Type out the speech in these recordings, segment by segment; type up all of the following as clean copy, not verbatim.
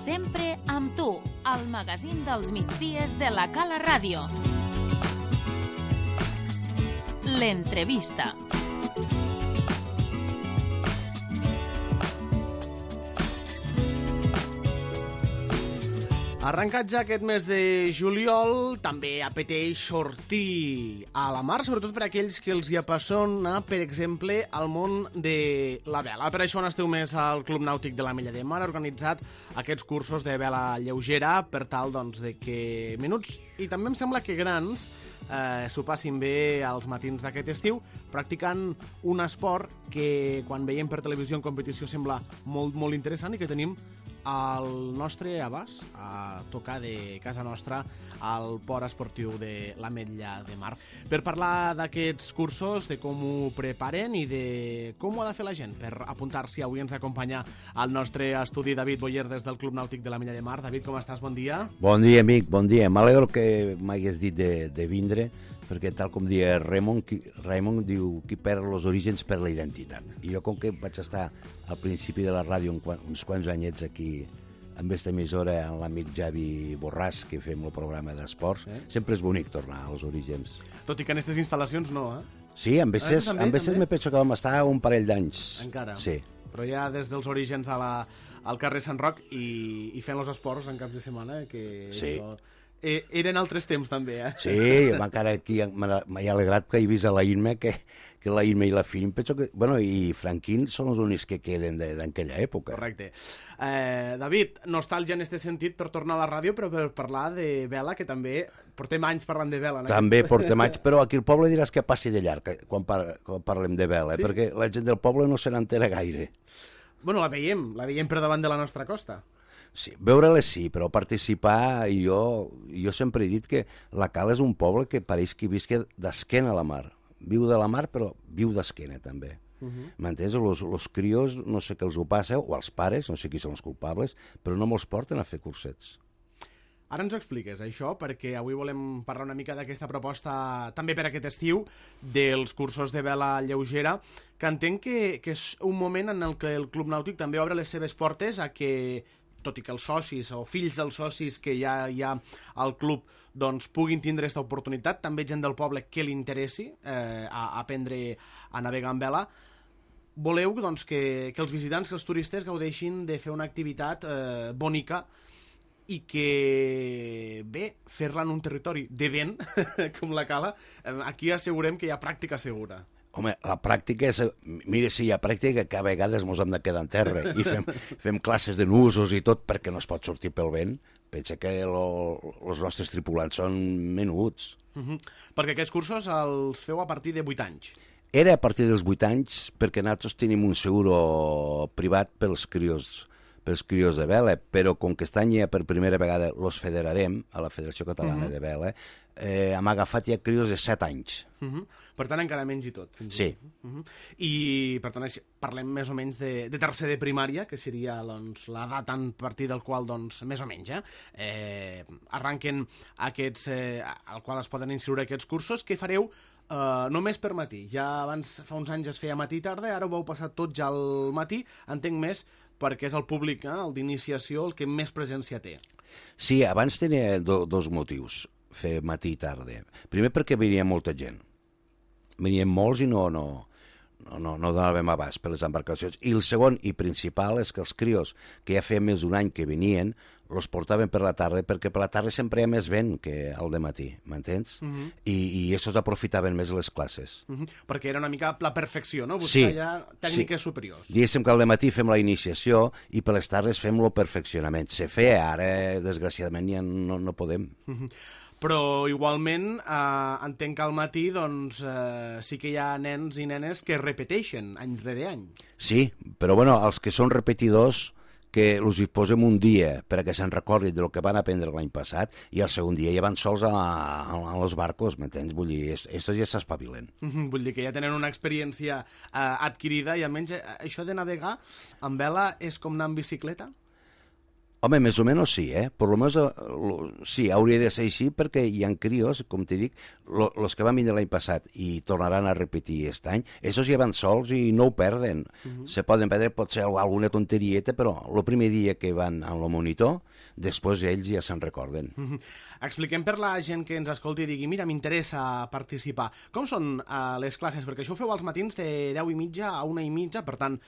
Sempre amb tu, al magazín dels migdies de la Cala Ràdio. L'entrevista. Arrencat ja aquest mes de juliol, també apeteix sortir a la mar, sobretot per a aquells que els hi apassiona, per exemple, el món de la vela. Per això on esteu més al Club Nàutic de l'Ametlla de Mar, ha organitzat aquests cursos de vela lleugera per tal doncs, de que menuts, i també em sembla que grans, s'ho passin bé als matins d'aquest estiu, practicant un esport que quan veiem per televisió en competició sembla molt, molt interessant i que tenim al nostre abast, a tocar de casa nostra, al port esportiu de l'Ametlla de Mar. Per parlar d'aquests cursos, de com ho preparen i de com ho ha de fer la gent per apuntar-s'hi, avui ens acompanya al nostre estudi David Boyer des del Club Nàutic de l'Ametlla de Mar. David, com estàs? Bon dia. Bon dia, amic, bon dia. M'alegro que m'hagués dit de vindre, perquè tal com dia Raimon diu qui perd els orígens per la identitat. I jo, com que vaig estar al principi de la ràdio uns quants anyets aquí amb aquesta emissora, amb l'amic Javi Borràs, que fem el programa d'esports, sempre és bonic tornar als orígens. Tot i que en aquestes instal·lacions no, Sí, amb veces me penso que vam estar un parell d'anys. Encara? Sí. Però ja des dels orígens al carrer Sant Roc i fent els esports en caps de setmana, que sí. Eren altres temps també, Sí, encara aquí m'he alegrat que he vist a la Imma, que la Imma i la Film, penso que, bueno, i Franquín són els únics que queden d'aquella època. Correcte. David, nostàlgia en aquest sentit per tornar a la ràdio, però per parlar de vela, que també portem anys parlant de vela. També portem anys, però aquí al poble diràs que passi de llarg quan parlem de vela, sí? Perquè la gent del poble no se n'entera gaire. Bueno, la veiem per davant de la nostra costa. Sí, veure-la sí, però participar, jo sempre he dit que la Cala és un poble que pareix que visca d'esquena a la mar. Viu de la mar, però viu d'esquena també. M'entens? Los crios, no sé què els ho passa, o els pares, no sé qui són els culpables, però no me'ls porten a fer cursets. Ara ens ho expliques, això, perquè avui volem parlar una mica d'aquesta proposta, també per aquest estiu, dels cursos de vela lleugera, que entenc que és un moment en el que el Club Nàutic també obre les seves portes a que, tot i que els socis o fills dels socis que ja hi ha al club doncs, puguin tindre aquesta oportunitat, també gent del poble que li interessi aprendre a navegar amb vela, voleu doncs, que els visitants, que els turistes gaudeixin de fer una activitat bonica i que, bé, fer-la en un territori de vent, com la Cala, aquí assegurem que hi ha pràctica segura. Home, la pràctica és... Mira, si hi ha pràctica, que a vegades mos hem de quedar en terra i fem classes de nusos i tot perquè no es pot sortir pel vent. Pensa que els nostres tripulants són menuts. Perquè aquests cursos els feu a partir de 8 anys. Era a partir dels 8 anys perquè nosaltres tenim un seguro privat pels crios de vela, però com que aquest any ja per primera vegada els federarem a la Federació Catalana de Vela, hem agafat ja crios de 7 anys. Per tant, encara menys i tot. Sí. I, per tant, parlem més o menys de tercer de primària, que seria doncs, l'edat a partir del qual, doncs, més o menys, arranquen aquests, al qual es poden inscriure aquests cursos, que fareu només per matí. Ja abans, fa uns anys es feia matí i tarda, ara ho vau passar tot ja al matí, entenc més perquè és el públic, el d'iniciació, el que més presència té. Sí, abans tenia dos motius, fer matí i tarda. Primer perquè venia molta gent. Venien molts i no donàvem abast per les embarcacions. I el segon i principal és que els crios, que ja feia més d'un any que venien, els portaven per la tarda, perquè per la tarda sempre hi ha més vent que al dematí, m'entens? I estos aprofitaven més les classes. Perquè era una mica la perfecció, no? Buscar ja tècniques superiors. Diguéssim que al dematí fem la iniciació i per les tardes fem el perfeccionament. Se feia, ara, desgraciadament, ja no podem. Però igualment entenc que al matí doncs, sí que hi ha nens i nenes que repeteixen any rere any. Sí, però bueno, els que són repetidors que els hi posem un dia perquè se'n recordin del que van aprendre l'any passat i el segon dia ja van sols a los barcos, m'entens? Vull dir, estos ja s'espavilen. Vull dir que ja tenen una experiència adquirida i almenys això de navegar amb vela és com anar en bicicleta? Home, més o menys sí, Per lo menos sí, hauria de ser així perquè hi ha crios, com t'he dit, els que van vindre l'any passat i tornaran a repetir aquest any, esos ja van sols i no ho perden. Se poden perdre potser alguna tonterieta, però el primer dia que van en el monitor, després ells ja se'n recorden. Expliquem per la gent que ens escolti i digui mira, m'interessa participar. Com són les classes? Perquè això ho feu als matins de 10:30 a 1:30, per tant,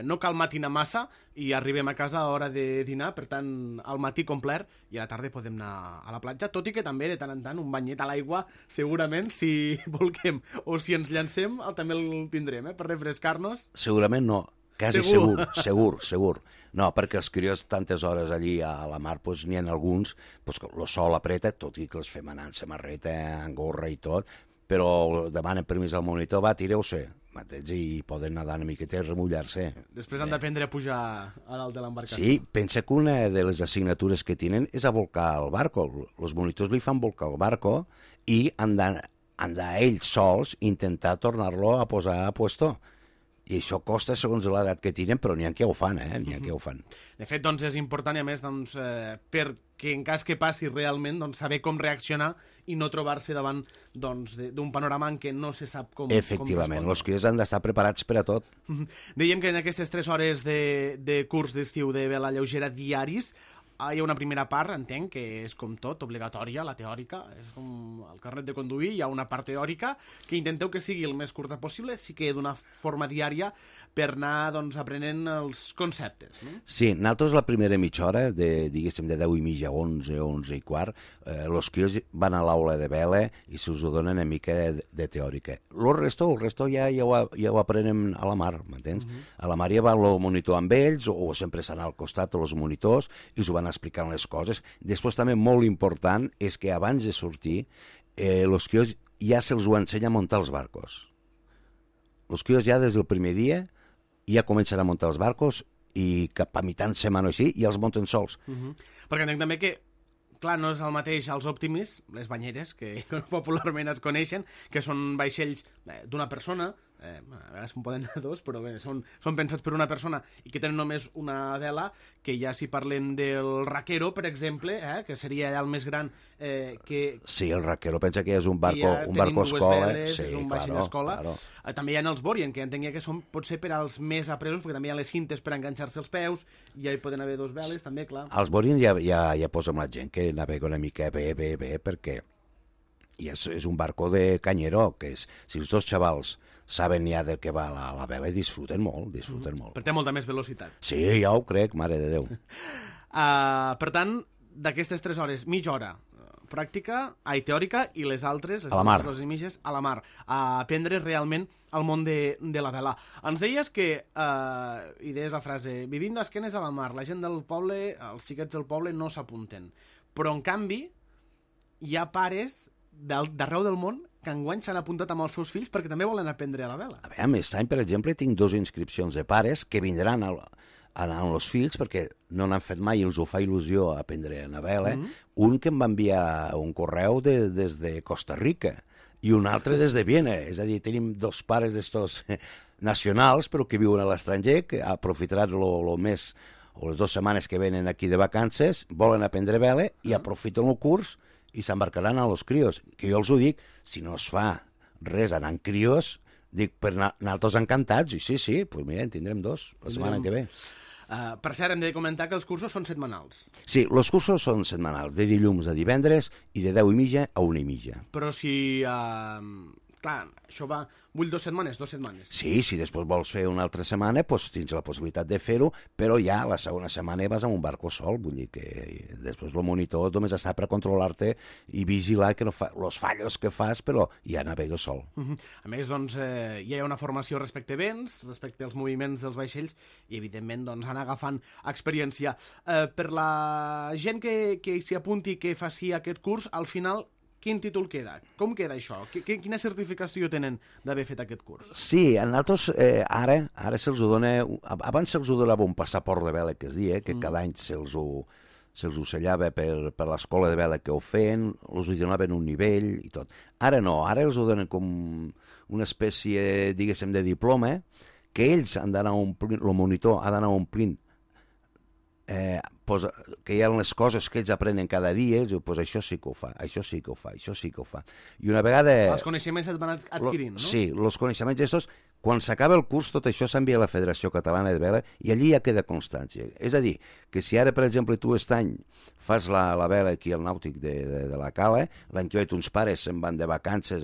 no cal matinar massa i arribem a casa a hora de dinar, per tant, al matí complet i a la tarda podem anar a la platja, tot i que també de tant en tant un banyet a l'aigua, segurament, si volguem, o si ens llancem, també el tindrem, per refrescar-nos. Segurament no. Quasi segur. No, perquè els crios tantes hores allí a la mar, doncs n'hi ha alguns, doncs el sol apreta, tot i que els fem anar en samarreta, en gorra i tot, però demanen permís al monitor, va, tireu-se, i poden nedar una miqueta i remullar-se. Després han d'aprendre a pujar a dalt de l'embarcació. Sí, pensa que una de les assignatures que tenen és a volcar el barco. Els monitors li fan volcar el barco i han d'anar ells sols intentar tornar-lo a posar a puesto. I això costa segons l'edat que tenen, però n'hi ha que ho fan, N'hi ha que ho fan. De fet, doncs, és important, i a més, doncs, perquè en cas que passi realment, doncs, saber com reaccionar i no trobar-se davant doncs, d'un panorama en què no se sap com Efectivament, els crios han d'estar preparats per a tot. Dèiem que en aquestes 3 hores de curs d'estiu de vela lleugera diaris hi ha una primera part, entenc, que és com tot, obligatòria, la teòrica, és com el carnet de conduir, hi ha una part teòrica que intenteu que sigui el més curta possible, sí que d'una forma diària per anar doncs, aprenent els conceptes. No? Sí, nosaltres la primera mitja hora, diguéssim, de 10:30 a 11, 11:15, els crios van a l'aula de vela i se'ls donen una mica de teòrica. El resto ja ho aprenem a la mar, m'entens? A la mar ja va el monitor amb ells, o sempre estan al costat dels monitors, i us ho van explicant les coses. Després també molt important és que abans de sortir els crios ja se'ls ho ensenya a muntar els barcos. Els crios ja des del primer dia ja comencen a muntar els barcos i cap a mitjan setmana així i els munten sols. Perquè entenc també que clar, no és el mateix els Optimis, les banyeres, que popularment es coneixen, que són vaixells d'una persona, a vegades en poden anar dos, però bé, són pensats per una persona i que tenen només una vela, que ja si parlem del Raquero, per exemple, que seria el més gran que... Sí, el Raquero pensa que és un barco escola. Veles, és un vaixell d'escola. Claro. També hi ha els Borien, que entenc que són potser per als més apresos, perquè també hi ha les cintes per enganxar-se els peus, i ja hi poden haver 2 veles, també, clar. Els Borien ja posem la gent que navega una mica bé, perquè és un barco de canyero, que és, si els 2 xavals saben ja del que va la vela i disfruten molt. Però té molta més velocitat. Sí, ja ho crec, mare de Déu. Per tant, d'aquestes 3 hores, mitja hora pràctica, teòrica, i les altres, les a la mar, les imatges, a la mar, a aprendre realment el món de la vela. Ens deies que, i deies la frase, vivim d'esquenes a la mar, la gent del poble, els xiquets del poble no s'apunten. Però, en canvi, hi ha pares d'arreu del món que enguany s'han apuntat amb els seus fills perquè també volen aprendre a la vela. A veure, aquest any, per exemple, tinc 2 inscripcions de pares que vindran amb els fills perquè no n'han fet mai i els ho fa il·lusió aprendre a la vela. Un que em va enviar un correu des de Costa Rica i un altre des de Viena. És a dir, tenim 2 pares d'estos nacionals però que viuen a l'estranger, que aprofitaran el mes o les 2 setmanes que venen aquí de vacances, volen aprendre vela i aprofiten el curs i s'embarcaran a los crios. Que jo els ho dic, si no es fa res anant crios, dic, per nosaltres encantats, i sí, doncs mira, en tindrem 2 la setmana que ve. Per cert, hem de comentar que els cursos són setmanals. Sí, els cursos són setmanals, de dilluns a divendres i de 10:30 a 1:30. Però si... clar, això va... Vull 2 setmanes, 2 setmanes. Sí, si després vols fer una altra setmana, doncs tens la possibilitat de fer-ho, però ja la segona setmana vas amb un barco sol, vull dir que després el monitor només està per controlar-te i vigilar que no fa els fallos que fas, però ja navegues sol. A més, doncs, hi ha una formació respecte a vents, respecte als moviments dels vaixells, i evidentment doncs, anar agafant experiència. Per la gent que s'hi apunti, que faci aquest curs, al final... Quin títol queda? Com queda això? Quina certificació tenen d'haver fet aquest curs? Sí, a nosaltres ara se'ls dona... Abans se'ls donava un passaport de vela, que es dia, que cada any se'ls ocellava per l'escola de vela que ho feien, els donaven un nivell i tot. Ara no, ara els donen com una espècie, diguéssim, de diploma, que ells han d'anar omplint, el monitor ha d'anar omplint pues, que hi ha les coses que ells aprenen cada dia, ells diuen, pues això sí que ho fa, això sí que ho fa, això sí que ho fa. I una vegada... Els coneixements et van adquirint, no? Sí, els coneixements estos, quan s'acaba el curs, tot això s'envia a la Federació Catalana de Vela i allí ja queda constància. És a dir, que si ara, per exemple, tu aquest any fas la vela aquí al nàutic de la Cala, l'any que ve uns pares se'n van de vacances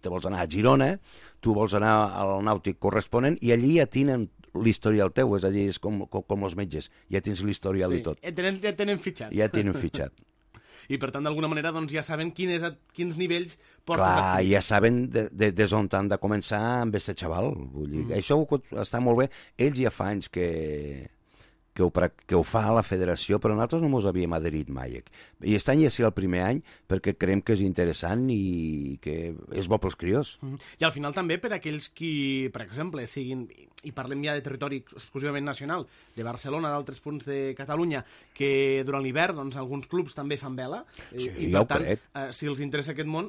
te vols anar a Girona, tu vols anar al nàutic corresponent i allí ja tenen l'historial teu, és a dir, és com els metges, ja tens l'historial i tot. Ja tenen fitxat. Ja tenen fitxat. I per tant, d'alguna manera, doncs, ja saben quins nivells portes Clar, actius. ja saben des on han de començar amb aquest xaval. Vull dir, això està molt bé. Ells ja fa anys que ho fa a la federació, però nosaltres no ens havíem adherit mai. I aquest any ja serà el primer any perquè creiem que és interessant i que és bo pels crios. I al final també per aquells qui, per exemple, siguin, i parlem ja de territori exclusivament nacional, de Barcelona, d'altres punts de Catalunya, que durant l'hivern doncs, alguns clubs també fan vela, Sí, i ja per ho tant, crec. Si els interessa aquest món,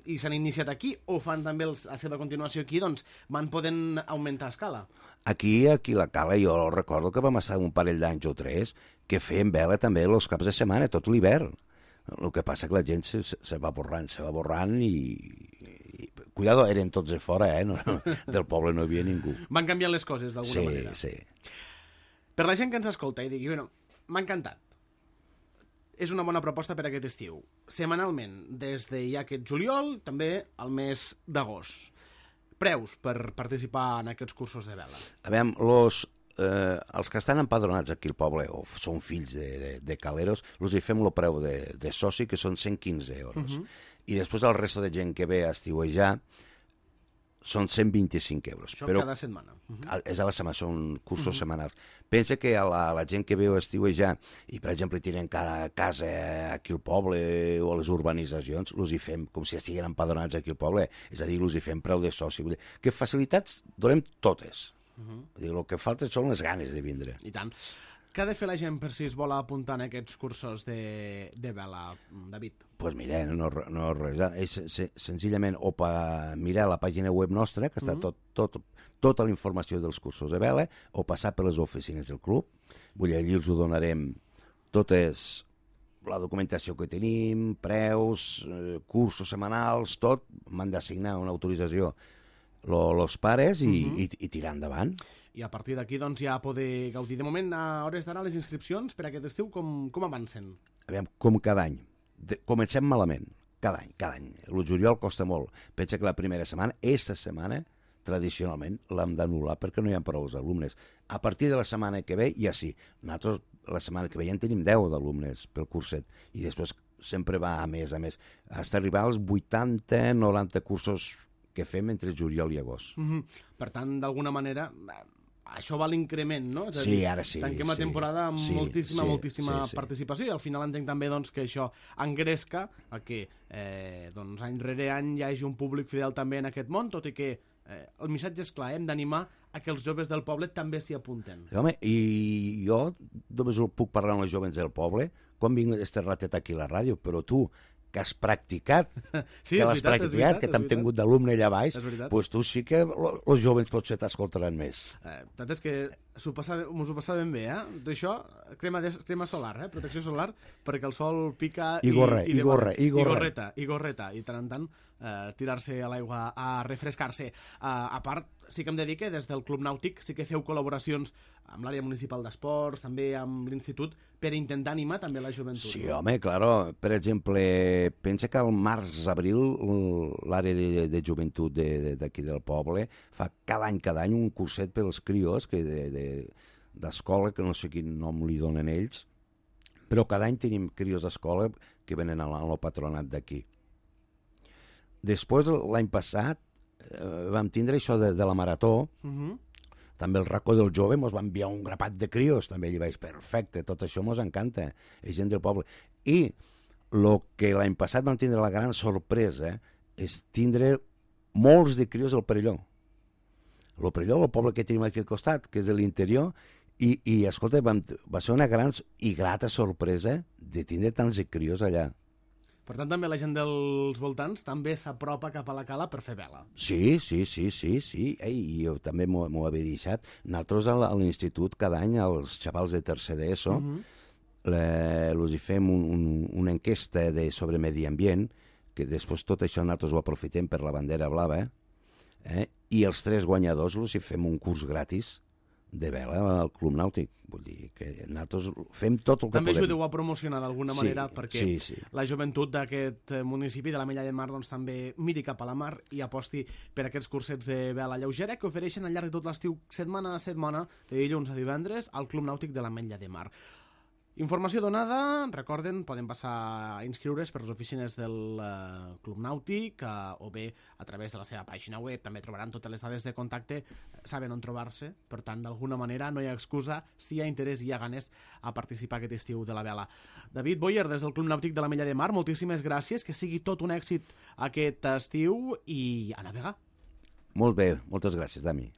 i s'han iniciat aquí, o fan també la seva continuació aquí, doncs van podent augmentar a escala. Aquí a la Cala, jo recordo que vam estar un parell d'anys o 3 que feien vela també els caps de setmana, tot l'hivern. El que passa que la gent se va borrant i cuidado, eren tots de fora, no, del poble no hi havia ningú. Van canviant les coses d'alguna manera. Sí. Per la gent que ens escolta i digui, bueno, m'ha encantat. És una bona proposta per aquest estiu. Setmanalment, des de ja aquest juliol, també al mes d'agost. Preus per participar en aquests cursos de vela. A veure, els que estan empadronats aquí al poble, o són fills de caleros, els hi fem el preu de soci, que són 115 euros. I després el resto de gent que ve a estiuejar són 125 euros. Això però cada setmana. És a la setmana, són cursos setmanals. Pensa que a la gent que ve a estiuejar i, per exemple, tenen cada casa aquí al poble o a les urbanitzacions, els hi fem com si estiguin empadronats aquí al poble, és a dir, els hi fem preu de soci. Vull dir, que facilitats donem totes. Vull dir, el que falta són les ganes de vindre. I tant. Què ha de fer la gent per si es vol apuntar en aquests cursos de vela, David? Doncs pues mira, no res. És senzillament o per mirar la pàgina web nostra, que està tota la informació dels cursos de vela, o passar per les oficines del club. Vull dir, allí els ho donarem totes la documentació que tenim, preus, cursos setmanals, tot. M'han d'assignar una autorització els pares i tirar endavant. I a partir d'aquí doncs, ja poder gaudir. De moment, a hores d'ara, les inscripcions per aquest estiu com avancen? Aviam, com cada any. Comencem malament, cada any. El juliol costa molt. Pensa que la primera setmana, aquesta setmana, tradicionalment l'hem d'anul·lar perquè no hi ha prou alumnes. A partir de la setmana que ve, ja sí. Nosaltres, la setmana que ve, ja en tenim 10 d'alumnes pel curset. I després sempre va a més. Fins arribar als 80-90 cursos que fem entre juliol i agost. Per tant, d'alguna manera, això va l'increment, no? És a Sí, dir, ara sí. tanquem la temporada amb moltíssima participació i al final entenc també doncs, que això engresca a que any rere any hi hagi un públic fidel també en aquest món, tot i que el missatge és clar, hem d'animar a que els joves del poble també s'hi apunten. Home, i jo només puc parlar amb els joves del poble quan vinc este ratet aquí a la ràdio, però tu, que has practicat, Sí, que és l'has veritat, practicat, que t'hem tingut d'alumne allà baix, És veritat. doncs tu sí que els joves potser t'escoltaran més. La veritat és que mos ho passàvem bé, D'això, crema solar, protecció solar, perquè el sol pica I gorreta. I tant en tant tirar-se a l'aigua a refrescar-se. A part, sí que em dedique, des del Club Nàutic, sí que feu col·laboracions amb l'àrea municipal d'esports, també amb l'institut, per intentar animar també la joventut. Sí, home, claro. Per exemple, pensa que al març-abril l'àrea de joventut d'aquí del poble fa cada any un curset pels crios d'escola, que no sé quin nom li donen ells, però cada any tenim crios d'escola que venen al patronat d'aquí. Després, l'any passat, vam tindre això de la marató, també el racó del jove ens va enviar un grapat de crios, també allà vaig, perfecte, tot això ens encanta, és gent del poble. I el que l'any passat vam tindre la gran sorpresa és tindre molts de crios al Perelló. El Perelló, el poble que tenim aquí al costat, que és de l'interior, i escolta, va ser una gran i grata sorpresa de tindre tants de crios allà. Per tant, també la gent dels voltants també s'apropa cap a la cala per fer vela. Sí. Ei, jo també m'ho havia deixat. Nosaltres a l'institut cada any, als xavals de tercer d'ESO, els hi fem una enquesta sobre medi ambient, que després tot això nosaltres ho aprofitem per la bandera blava, i els 3 guanyadors els hi fem un curs gratis de vela al Club Nàutic. Vull dir que nosaltres fem tot el que també podem. També ajudeu a promocionar d'alguna manera perquè la joventut d'aquest municipi de l'Ametlla de Mar doncs, també miri cap a la mar i aposti per aquests cursets de vela lleugera que ofereixen al llarg de tot l'estiu, setmana a setmana, de dilluns a divendres, al Club Nàutic de l'Ametlla de Mar. Informació donada, recorden, poden passar a inscriure's per les oficines del Club Nàutic o bé a través de la seva pàgina web, també trobaran totes les dades de contacte, saben on trobar-se, per tant, d'alguna manera no hi ha excusa, si hi ha interès i hi ha ganes a participar aquest estiu de la vela. David Boyer, des del Club Nàutic de l'Ametlla de Mar, moltíssimes gràcies, que sigui tot un èxit aquest estiu i a navegar. Molt bé, moltes gràcies, Dani.